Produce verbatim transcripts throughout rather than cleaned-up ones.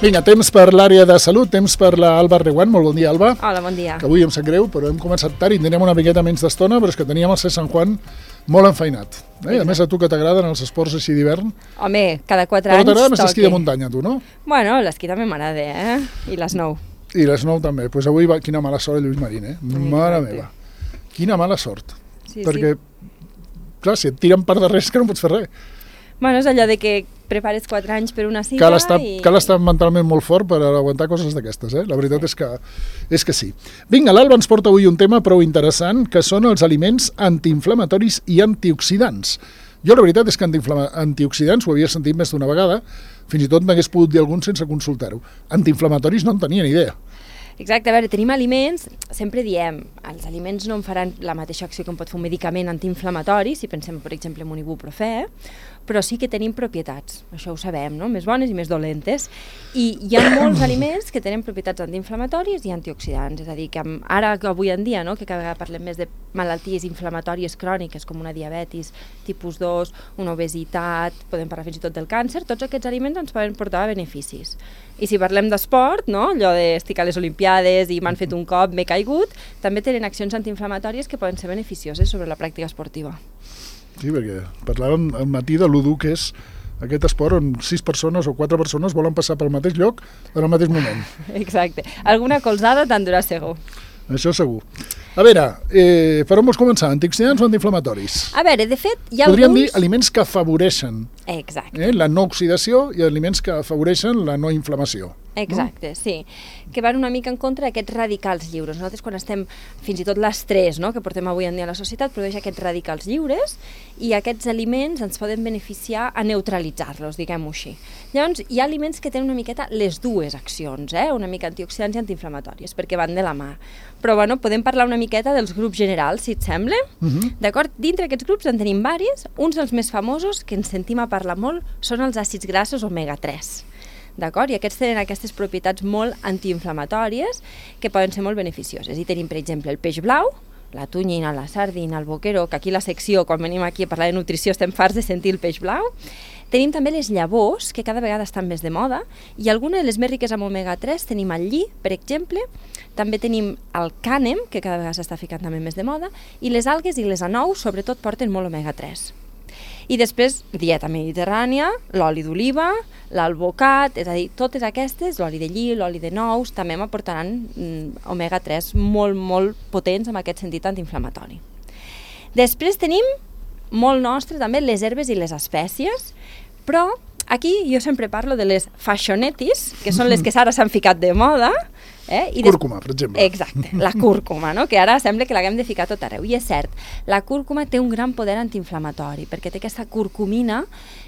Vinga, temps per l'àrea de salut, temps per l'Alba Reguant. Molt bon dia, Alba. Hola, bon dia. Que avui em sap greu, però hem començat tard i teníem una miqueta menys d'estona, però és que teníem el C. Sant Juan molt enfeinat. Eh? A més, a tu que t'agraden els esports així d'hivern. Home, cada quatre però anys t'agrada més toqui. l'esquí de muntanya, tu, no? Bueno, l'esquí també m'agrada, eh? I l'snow. I l'snow també. Doncs pues avui va... Quina mala sort, Lluís Marín, eh? Ai, Mare exacte. meva. Quina mala sort. Sí, Perquè, sí. clar, si et tiren per darrere és que no pots fer res. Bueno, és allò de que prepares quatre anys per una cita Cal estar, i... cal estar mentalment molt fort per aguantar coses d'aquestes, eh? La veritat és que, és que sí. Vinga, l'Alba ens porta avui un tema prou interessant, que són els aliments antiinflamatoris i antioxidants. Jo la veritat és que antioxidants ho havia sentit més d'una vegada, fins i tot n'hagués pogut dir algun sense consultar-ho. Antiinflamatoris no en tenia ni idea. Exacte, a veure, tenim aliments, sempre diem, els aliments no en faran la mateixa acció que en pot fer un medicament antiinflamatori, si pensem, per exemple, en un ibuprofè, però sí que tenim propietats, això ho sabem, no? Més bones i més dolentes. I hi ha molts aliments que tenen propietats antiinflamatòries i antioxidants, és a dir, que ara, avui en dia, no? Que cada vegada parlem més de malalties inflamatòries cròniques, com una diabetis tipus dos, una obesitat, podem parlar fins i tot del càncer, tots aquests aliments ens poden portar beneficis. I si parlem d'esport, no? Allò d'estic a les Olimpiades i m'han fet un cop, m'he caigut, també tenen accions antiinflamatòries que poden ser beneficioses sobre la pràctica esportiva. Sí, perquè parlàvem al matí de l'U D U, que és aquest esport on sis persones o quatre persones volen passar pel mateix lloc en el mateix moment. Exacte. Alguna colzada te'n durà segur. Això segur. A veure, eh, per on vols començar? Antioxidants o antiinflamatoris? A veure, de fet, hi ha Podríem alguns... dir aliments que afavoreixen Exacte. eh, la no oxidació i aliments que afavoreixen la no inflamació. Exacte, no? Sí. Que van una mica en contra d'aquests radicals lliures. Nosaltres quan estem, fins i tot l'estrès, no?, que portem avui en dia a la societat, produeix aquests radicals lliures i aquests aliments ens poden beneficiar a neutralitzar-los, diguem-ho així. Llavors, hi ha aliments que tenen una miqueta les dues accions, eh? Una mica antioxidants i antiinflamatòries, perquè van de la mà. Però, bueno, podem parlar una miqueta dels grups generals, si et sembla. Uh -huh. D'acord? Dintre aquests grups en tenim varis. Uns dels més famosos, que ens sentim a parlar molt, són els àcids grassos omega tres. D'acord? I aquests tenen aquestes propietats molt antiinflamatòries que poden ser molt beneficioses. I tenim, per exemple, el peix blau, la tonyina, la sardina, el boqueró, que aquí la secció, quan venim aquí a parlar de nutrició, estem farts de sentir el peix blau. Tenim també les llavors, que cada vegada estan més de moda, i algunes de les més riques amb omega tres tenim el lli, per exemple, també tenim el cànem, que cada vegada s'està ficant també més de moda, i les algues i les anous, sobretot, porten molt omega tres. I després, dieta mediterrània, l'oli d'oliva, l'alvocat, és a dir, totes aquestes, l'oli de lli, l'oli de nous, també m'aportaran mm, omega tres molt, molt potents en aquest sentit antiinflamatori. Després tenim, molt nostre, també les herbes i les espècies, però aquí jo sempre parlo de les fashionetis, que són les que ara s'han ficat de moda. Eh? I Cúrcuma, per exemple. Exacte, la cúrcuma, no? Que ara sembla que l'haguem de ficar tot arreu. I és cert, la cúrcuma té un gran poder antiinflamatori, perquè té aquesta curcumina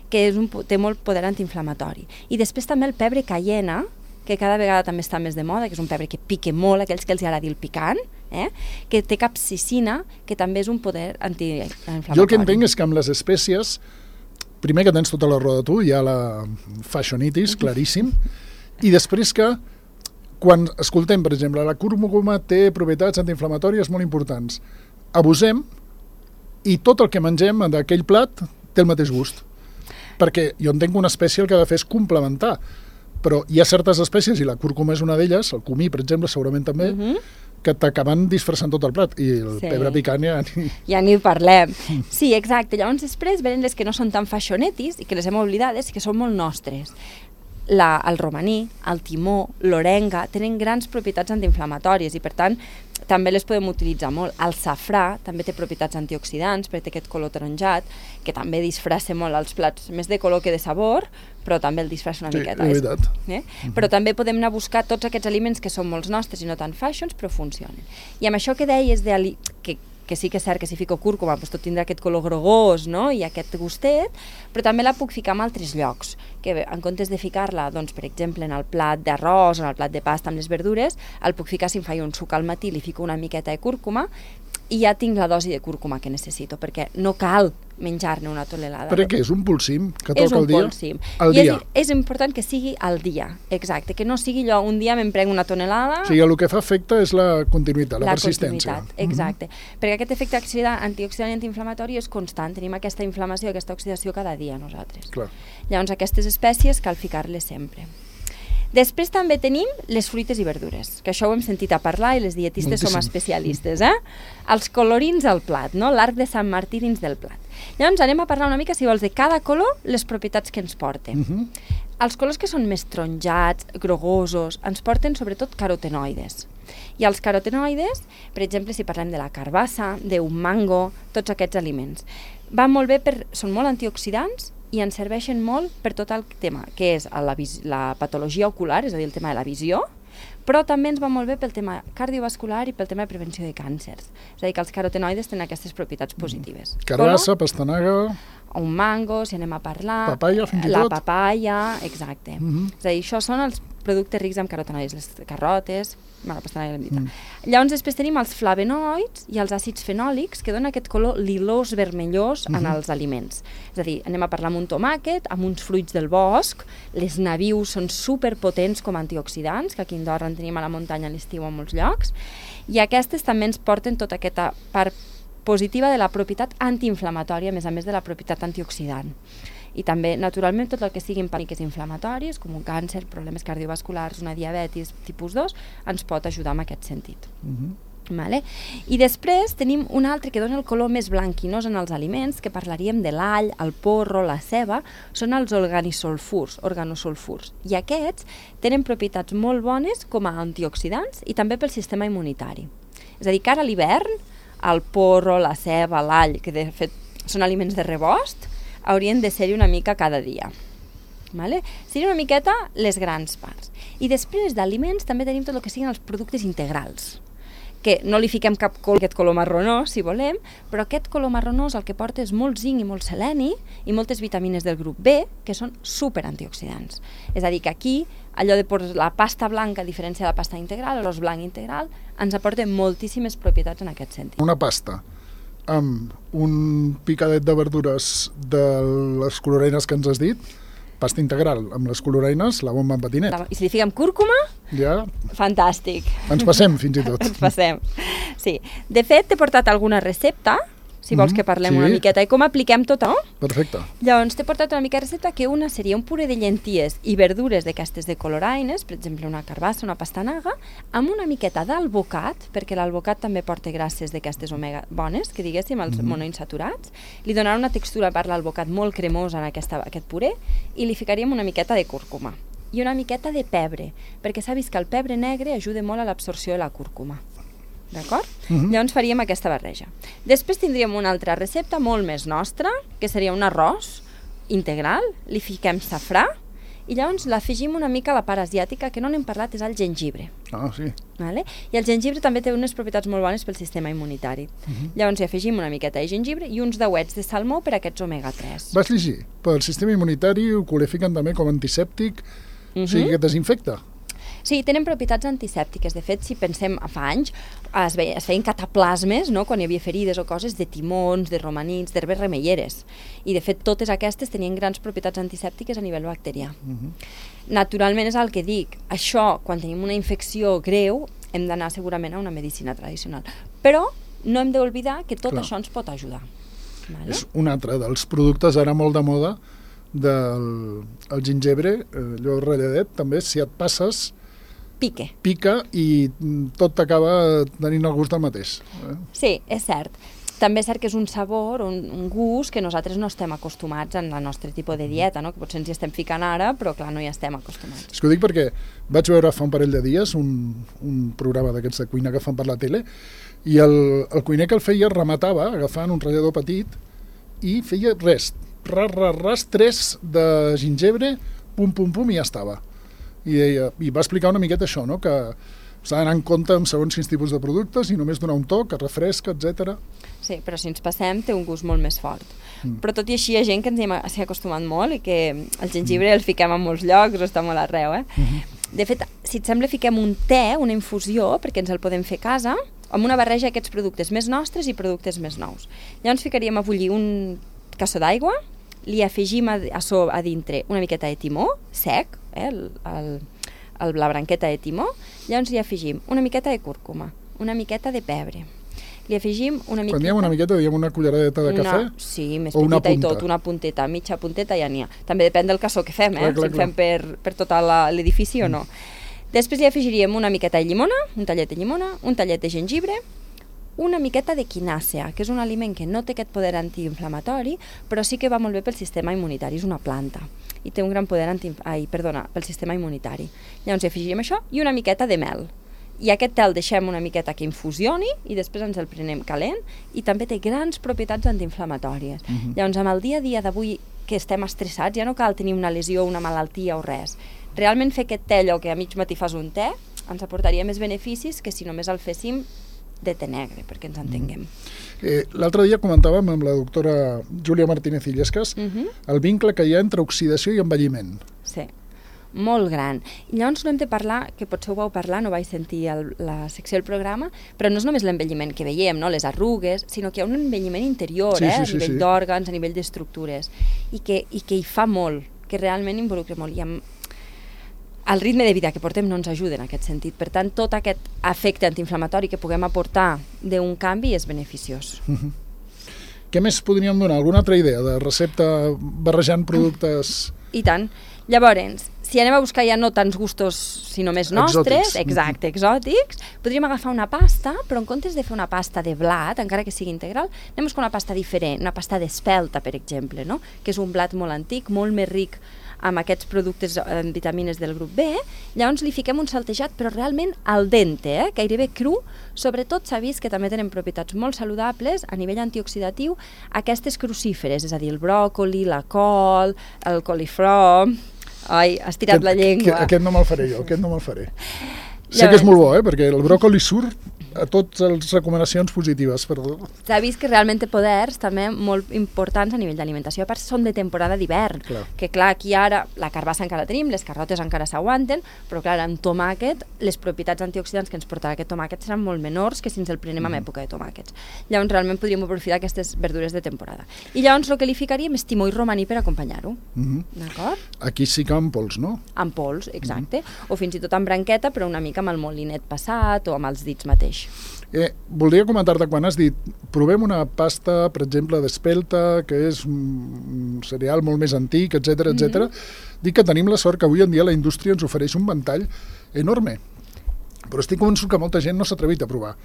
que és un, té molt poder antiinflamatori. I després també el pebre cayena, que cada vegada també està més de moda, que és un pebre que pique molt, aquells que els agrada el picant, eh? Que té capsicina, que també és un poder antiinflamatori. Jo el que entenc és que amb les espècies, primer que tens tota la raó de tu, hi ha la fashionitis, claríssim, i després que quan escoltem, per exemple, la cúrcuma té propietats antiinflamatòries molt importants, abusem i tot el que mengem d'aquell plat té el mateix gust. Perquè jo entenc que una espècie el que ha de fer és complementar, però hi ha certes espècies, i la cúrcuma és una d'elles, el comí, per exemple, segurament també, uh-huh. que t'acaben disfressant tot el plat, i el sí. pebre picant ja ni... Ja ni parlem. Sí, exacte. Llavors després venen les que no són tan fashionetis i que les hem oblidades i que són molt nostres. La, el romaní, el timó, l'orenga, tenen grans propietats antiinflamatòries i, per tant, també les podem utilitzar molt. El safrà també té propietats antioxidants, perquè té aquest color taronjat, que també disfressa molt els plats, més de color que de sabor, però també el disfressa una sí, miqueta. Sí, és veritat. Eh? Uh-huh. Però també podem anar a buscar tots aquests aliments que són molts nostres i no tan fashions, però funcionen. I amb això que deies de que que sí que és cert que si fico cúrcuma doncs tot tindrà aquest color grogós, no?, i aquest gustet, però també la puc ficar en altres llocs, que en comptes de ficar-la, doncs, per exemple, en el plat d'arròs o en el plat de pasta amb les verdures, el puc ficar, si em faig un suc al matí, li fico una miqueta de cúrcuma i ja tinc la dosi de cúrcuma que necessito, perquè no cal menjar-ne una tonelada. Perquè és un polsim que toca és un al dia? polsim. Al I dia. És, és important que sigui al dia, exacte, que no sigui allò, un dia me'n prenc una tonelada... O sigui, el que fa efecte és la continuïtat, la, la persistència. Continuïtat, exacte. Mm-hmm. Perquè aquest efecte antioxidant i antiinflamatori és constant, tenim aquesta inflamació, aquesta oxidació cada dia nosaltres. Clar. Llavors, aquestes espècies cal ficar-les sempre. Després també tenim les fruites i verdures, que això ho hem sentit a parlar i les dietistes Moltíssim. som especialistes, eh? Els colorins al plat, no? L'arc de Sant Martí dins del plat. Llavors anem a parlar una mica, si vols, de cada color, les propietats que ens porten. Uh-huh. Els colors que són més taronjats, grogosos, ens porten sobretot carotenoides. I els carotenoides, per exemple, si parlem de la carbassa, d'un mango, tots aquests aliments, van molt bé, per, són molt antioxidants i ens serveixen molt per tot el tema, que és la, la patologia ocular, és a dir, el tema de la visió, però també ens va molt bé pel tema cardiovascular i pel tema de prevenció de càncers. És a dir, que els carotenoides tenen aquestes propietats positives. Carbassa, pastanaga... Un mango, si anem a parlar... Papaya, fins i la tot. La papaya, exacte. Uh-huh. És a dir, això són els productes rics en carotenoides, les carotes, bueno, la pastanaga l'hem dit. Mm. Llavors després tenim els flavonoids i els àcids fenòlics que donen aquest color lilós vermellós uh-huh. en els aliments. És a dir, anem a parlar amb un tomàquet, amb uns fruits del bosc, les nabius són superpotents com a antioxidants, que aquí a Andorra en tenim a la muntanya a l'estiu a molts llocs, i aquestes també ens porten tota aquesta part positiva de la propietat antiinflamatòria, a més a més de la propietat antioxidant. I també, naturalment, tot el que siguin pàniques inflamatoris, com un càncer, problemes cardiovasculars, una diabetis tipus dos, ens pot ajudar en aquest sentit. Uh-huh. Vale? I després tenim un altre que dona el color més blanquinós en els aliments, que parlaríem de l'all, el porro, la ceba, són els organosulfurs, organosulfurs. I aquests tenen propietats molt bones com a antioxidants i també pel sistema immunitari. És a dir, que ara a l'hivern, el porro, la ceba, l'all, que de fet són aliments de rebost, haurien de ser-hi una mica cada dia. Vale? Serien una miqueta les grans parts. I després d'aliments també tenim tot el que siguin els productes integrals, que no li fiquem cap color, aquest color marronós, si volem, però aquest color marronós el que porta és molt zinc i molt seleni i moltes vitamines del grup B, que són superantioxidants. És a dir, que aquí, allò de la pasta blanca, a diferència de la pasta integral, l'arròs blanc integral, ens aporta moltíssimes propietats en aquest sentit. Una pasta amb un picadet de verdures de les coloreines que ens has dit, pasta integral amb les coloreines, la bomba en patinet. I si li fiquem cúrcuma, ja... fantàstic. Ens passem, fins i tot. Ens passem, sí. De fet, t'he portat alguna recepta, si vols que parlem sí. una miqueta, i com apliquem tot, no? Perfecte. Llavors, t'he portat una mica de recepta, que una seria un puré de llenties i verdures d'aquestes de coloraines, per exemple, una carbassa, una pastanaga, amb una miqueta d'alvocat, perquè l'alvocat també porta grasses d'aquestes omega bones, que diguéssim, els mm. monoinsaturats, li donarà una textura per l'alvocat molt cremosa en aquesta, aquest puré, i li ficaríem una miqueta de cúrcuma i una miqueta de pebre, perquè s'ha vist que el pebre negre ajuda molt a l'absorció de la cúrcuma. D'acord? Uh-huh. Llavors faríem aquesta barreja. Després tindríem una altra recepta molt més nostra, que seria un arròs integral, li fiquem safrà i llavors l'afegim una mica a la part asiàtica, que no n'hem parlat, és el gengibre. Ah, sí. Vale? I el gengibre també té unes propietats molt bones pel sistema immunitari. Uh-huh. Llavors hi afegim una miqueta de gengibre i uns dauets de salmó per a aquests omega tres. Vas llegir? Pel sistema immunitari ho qualifiquen també com antisèptic, uh-huh. o sigui que desinfecta. Sí, tenen propietats antisèptiques. De fet, si pensem fa anys, es, veia, es feien cataplasmes, no?, quan hi havia ferides o coses de timons, de romanins, d'herbes remeieres. I, de fet, totes aquestes tenien grans propietats antisèptiques a nivell bacterià. Uh-huh. Naturalment, és el que dic. Això, quan tenim una infecció greu, hem d'anar segurament a una medicina tradicional. Però no hem d'oblidar que tot Clar. Això ens pot ajudar. Vale? És un altre dels productes ara molt de moda del el gingebre, allò ralladet, també, si et passes... Pique. Pica i tot t'acaba tenint el gust del mateix. Eh? Sí, és cert. També és cert que és un sabor, un, un gust que nosaltres no estem acostumats en el nostre tipus de dieta, no? Que potser ens hi estem ficant ara, però clar, no hi estem acostumats. És que ho dic perquè vaig veure fa un parell de dies un, un programa d'aquests de cuina que fan per la tele i el, el cuiner que el feia rematava agafant un ratllador petit i feia res, ras, ras, ras, tres de gingebre, pum, pum, pum, i ja estava. I, deia, i va explicar una miqueta això, no? Que s'ha d'anar en compte amb segons quins tipus de productes i només donar un toc, que refresca, etcètera. Sí, però si ens passem té un gust molt més fort. Mm. Però tot i així hi ha gent que ens hi ha acostumat molt i que el gengibre mm. el fiquem en molts llocs, o està molt arreu, eh? Mm-hmm. De fet, si et sembla, fiquem un te, una infusió, perquè ens el podem fer a casa, amb una barreja d'aquests productes més nostres i productes més nous. Llavors ficaríem a bullir un cassó d'aigua, li afegim a, a, so, a dintre una miqueta de timó, sec, eh, el, el, el, la branqueta de timó, llavors li afegim una miqueta de cúrcuma, una miqueta de pebre, li afegim una miqueta... Quan diem una miqueta, diem una culleradeta de cafè? Una, sí, més o una petita i punta? tot, una punteta, mitja punteta ja n'hi ha. També depèn del cassó que fem, eh? Clar, clar, si el fem per, per tot l'edifici mm. o no. Després li afegiríem una miqueta de llimona, un tallet de llimona, un tallet de gengibre, una miqueta de quinàcea, que és un aliment que no té aquest poder antiinflamatori, però sí que va molt bé pel sistema immunitari, és una planta, i té un gran poder anti... Ai, perdona, pel sistema immunitari. Llavors hi afegim això i una miqueta de mel. I aquest te el deixem una miqueta que infusioni i després ens el prenem calent i també té grans propietats antiinflamatòries. Uh-huh. Llavors, amb el dia a dia d'avui que estem estressats, ja no cal tenir una lesió, una malaltia o res. Realment fer aquest te, allò que a mig matí fas un te, ens aportaria més beneficis que si només el féssim de te negre, perquè ens entenguem. Eh, L'altre dia comentàvem amb la doctora Júlia Martínez Illescas uh-huh. el vincle que hi ha entre oxidació i envelliment. Sí, molt gran. I llavors no hem de parlar, que potser ho vau parlar, no vaig sentir el, la secció del programa, però no és només l'envelliment que veiem, no? Les arrugues, sinó que hi ha un envelliment interior, sí, eh? sí, sí, a nivell sí. d'òrgans, a nivell d'estructures, i que, i que hi fa molt, que realment involucra molt. I amb el ritme de vida que portem no ens ajuda en aquest sentit. Per tant, tot aquest efecte antiinflamatori que puguem aportar d'un canvi és beneficiós. Uh-huh. Què més podríem donar? Alguna altra idea de recepta barrejant productes? I tant. Llavors, si anem a buscar ja no tants gustos, sinó més nostres, exòtics. exacte, exòtics, podríem agafar una pasta, però en comptes de fer una pasta de blat, encara que sigui integral, anem a buscar una pasta diferent, una pasta d'espelta, per exemple, no? Que és un blat molt antic, molt més ric amb aquests productes en vitamines del grup B, llavors li fiquem un saltejat, però realment al dente, eh? Gairebé cru. Sobretot s'ha vist que també tenen propietats molt saludables a nivell antioxidatiu aquestes crucíferes, és a dir, el bròcoli, la col, el coliflor... Ai, has tirat aquest, la llengua. Aquest, aquest no me'l faré jo, aquest no me'l faré. Sé que és molt bo, eh? Perquè el bròcoli surt a totes les recomanacions positives. Perdó. S'ha vist que realment té poders també molt importants a nivell d'alimentació. A part, són de temporada d'hivern, que clar, aquí ara la carbassa encara la tenim, les carrotes encara s'aguanten, però clar, amb tomàquet, les propietats antioxidants que ens portarà aquest tomàquet seran molt menors que si ens el prenem en època de tomàquets. Llavors, realment podríem aprofitar aquestes verdures de temporada. I llavors el que li ficaríem és timó i romaní per acompanyar-ho. Mm-hmm. D'acord? Aquí sí que amb pols, no? Amb pols, exacte. Mm-hmm. O fins i tot amb branqueta, però una mica amb el molinet passat o amb els dits mateix. Eh, voldria comentar-te quan has dit provem una pasta, per exemple, d'espelta, que és un cereal molt més antic, etcètera, etcètera. Mm-hmm. Dic que tenim la sort que avui en dia la indústria ens ofereix un ventall enorme. Però estic convençut que molta gent no s'ha atrevit a provar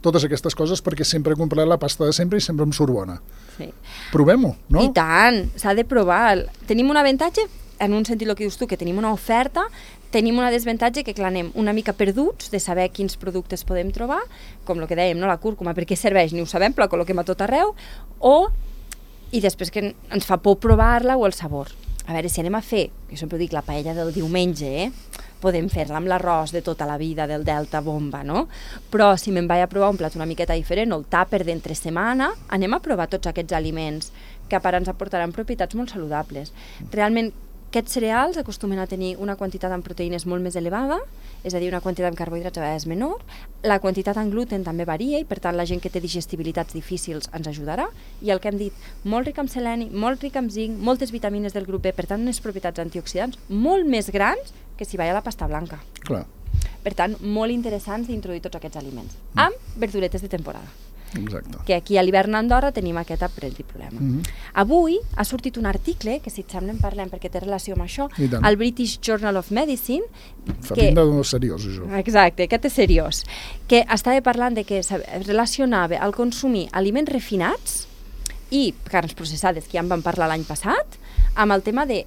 totes aquestes coses perquè sempre he comprat la pasta de sempre i sempre em surt bona. Sí. Provem-ho, no? I tant, s'ha de provar. Tenim un avantatge, en un sentit el que dius tu, que tenim una oferta, tenim una desavantatge que, clar, anem una mica perduts de saber quins productes podem trobar, com el que dèiem, no? La cúrcuma, per què serveix? Ni ho sabem, però la col·loquem a tot arreu, o, i després que ens fa por provar-la, o el sabor. A veure, si anem a fer, jo sempre dic la paella del diumenge, eh? Podem fer-la amb l'arròs de tota la vida, del Delta Bomba, no? Però si me'n vaig a provar un plat una miqueta diferent, o el tàper d'entre setmana, anem a provar tots aquests aliments que a part ens aportaran propietats molt saludables. Realment, aquests cereals acostumen a tenir una quantitat en proteïnes molt més elevada, és a dir, una quantitat en carbohidrats a vegades menor, la quantitat en gluten també varia i per tant la gent que té digestibilitats difícils ens ajudarà, i el que hem dit, molt ric en seleni, molt ric en zinc, moltes vitamines del grup B, per tant unes propietats antioxidants molt més grans que si vaig a la pasta blanca. Clar. Per tant, molt interessants d'introduir tots aquests aliments, mm. amb verduretes de temporada. Exacte. Que aquí a l'hivern d'Andorra tenim aquest petit problema. Mm-hmm. Avui ha sortit un article, que si et sembla en parlem perquè té relació amb això, al British Journal of Medicine. Fa que... pinta de seriós, això. Exacte, aquest és seriós. Que estava parlant de que relacionava el consumir aliments refinats i carns processades, que ja en vam parlar l'any passat, amb el tema de,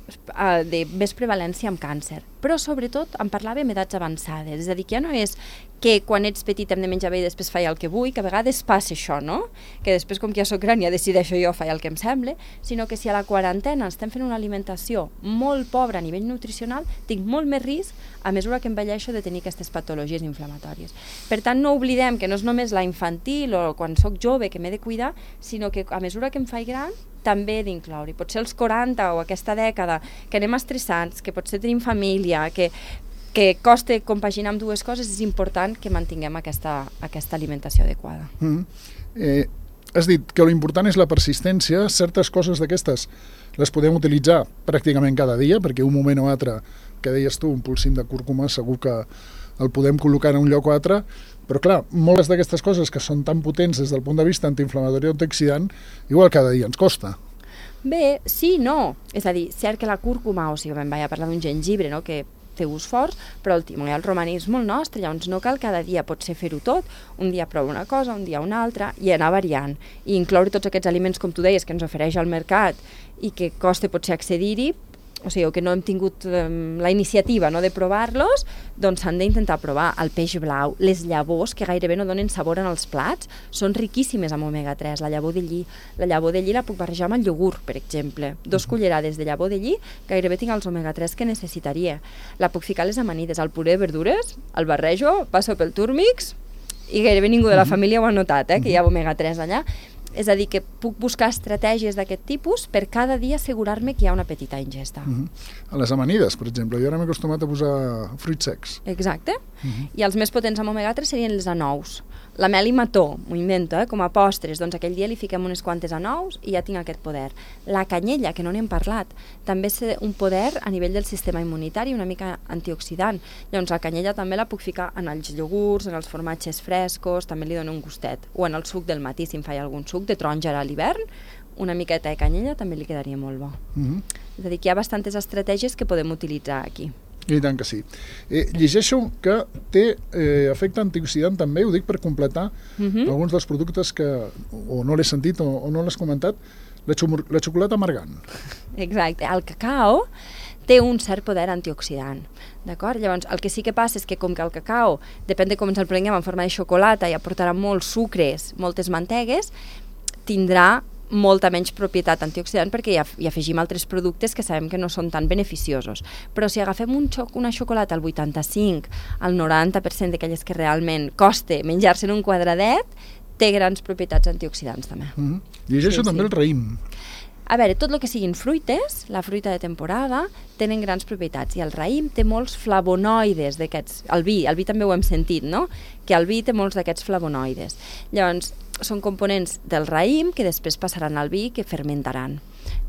de més prevalència amb càncer. Però sobretot en parlàvem edats avançades, és a dir, que ja no és que quan ets petit hem de menjar bé i després faig el que vull, que a vegades passa això, no? Que després, com que ja soc gran, ja decideixo jo faig el que em sembla, sinó que si a la quarantena estem fent una alimentació molt pobra a nivell nutricional, tinc molt més risc a mesura que envelleixo de tenir aquestes patologies inflamatòries. Per tant, no oblidem que no és només la infantil o quan soc jove que m'he de cuidar, sinó que a mesura que em faig gran també he d'incloure. Potser els quaranta o aquesta dècada que anem estressats, que potser tenim família, que, que costa compaginar amb dues coses, és important que mantinguem aquesta, aquesta alimentació adequada. Mm. Eh, has dit que l'important és la persistència. Certes coses d'aquestes les podem utilitzar pràcticament cada dia, perquè un moment o altre, que deies tu, un polsim de cúrcuma, segur que el podem col·locar en un lloc o altre, Però clar, moltes d'aquestes coses que són tan potents des del punt de vista antiinflamatori o antioxidant, igual cada dia ens costa. Bé, sí, no. És a dir, cert que la cúrcuma, o sigui, vam parlar d'un gengibre, no?, que té gust forts, però el timó i el romaní és molt nostre, llavors no cal cada dia potser fer-ho tot, un dia prova una cosa, un dia una altra, i anar variant, i incloure tots aquests aliments, com tu deies, que ens ofereix el mercat i que costa potser accedir-hi, o sigui, que no hem tingut um, la iniciativa, no?, de provar-los, doncs s'han d'intentar provar el peix blau, les llavors, que gairebé no donen sabor en els plats, són riquíssimes amb omega tres, la llavor de lli. La llavor de lli la puc barrejar amb el iogurt, per exemple. Dos cullerades de llavor de lli, gairebé tinc els omega tres que necessitaria. La puc ficar a les amanides, al puré de verdures, el barrejo, passo pel túrmix, i gairebé ningú de la família ho ha notat, eh, que hi ha omega tres allà. És a dir, que puc buscar estratègies d'aquest tipus per cada dia assegurar-me que hi ha una petita ingesta. Uh-huh. A les amanides, per exemple, jo ara m'he acostumat a posar fruits secs. Exacte. Uh-huh. I els més potents amb omega tres serien les anous. La mel i mató, m'ho invento, eh, com a postres, doncs aquell dia li fiquem unes quantes anous i ja tinc aquest poder. La canyella, que no n'hem parlat, també és un poder a nivell del sistema immunitari, una mica antioxidant. Llavors la canyella també la puc ficar en els iogurts, en els formatges frescos, també li dona un gustet. O en el suc del matí, si em faig algun suc de taronja a l'hivern, una miqueta de canyella també li quedaria molt bo. Uh-huh. És a dir, que hi ha bastantes estratègies que podem utilitzar aquí. I tant que sí. Eh, llegeixo que té eh, efecte antioxidant també, ho dic per completar uh-huh. alguns dels productes que o no l'he sentit o, o no l'has comentat, la, xumur, la xocolata amargant. Exacte. El cacau té un cert poder antioxidant, d'acord? Llavors, el que sí que passa és que com que el cacau, depèn de com ens el prenguem en forma de xocolata i aportarà molts sucres, moltes mantegues, tindrà molta menys propietat antioxidant perquè hi, hi afegim altres productes que sabem que no són tan beneficiosos. Però si agafem un xoc, una xocolata al vuitanta-cinc, al noranta per cent d'aquelles que realment costa menjar-se en un quadradet, té grans propietats antioxidants també. Mm-hmm. Llegeixo sí, també sí. el raïm. A veure, tot el que siguin fruites, la fruita de temporada, tenen grans propietats. I el raïm té molts flavonoides d'aquests. El vi, el vi també ho hem sentit, no? Que el vi té molts d'aquests flavonoides. Llavors, són components del raïm que després passaran al vi que fermentaran.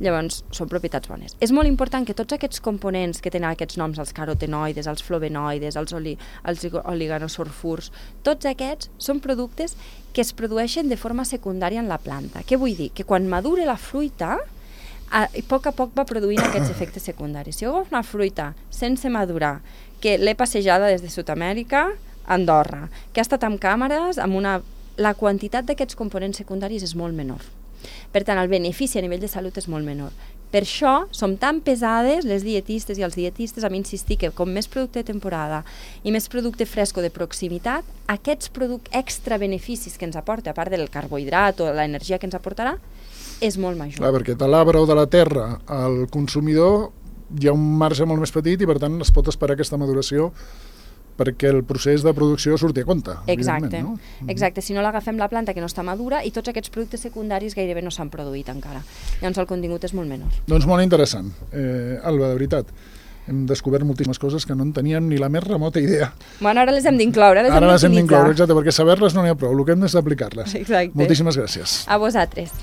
Llavors, són propietats bones. És molt important que tots aquests components que tenen aquests noms, els carotenoides, els flavonoides, els, oli, els oliganosulfurs, tots aquests són productes que es produeixen de forma secundària en la planta. Què vull dir? Que quan madura la fruita, a, a poc a poc va produint aquests efectes secundaris. Si jo agafo una fruita sense madurar, que l'he passejada des de Sud-amèrica a Andorra, que ha estat amb càmeres, amb una... la quantitat d'aquests components secundaris és molt menor. Per tant, el benefici a nivell de salut és molt menor. Per això som tan pesades les dietistes i els dietistes a insistir que com més producte de temporada i més producte fresco de proximitat, aquests productes extra beneficis que ens aporta, a part del carbohidrat o l'energia que ens aportarà, és molt major. Clar, perquè de l'arbre o de la terra al consumidor hi ha un marge molt més petit i per tant es pot esperar aquesta maduració perquè el procés de producció surti a compte. Exacte, no? exacte. Si no l'agafem la planta que no està madura i tots aquests productes secundaris gairebé no s'han produït encara. Llavors el contingut és molt menor. Doncs molt interessant. Eh, Alba, de veritat, hem descobert moltíssimes coses que no en teníem ni la més remota idea. Bueno, ara les hem d'incloure, les ara hem les hem d'incloure, exacte, perquè saber-les no n'hi ha prou, el que hem és d'aplicar-les. Exacte. Moltíssimes gràcies. A vosaltres.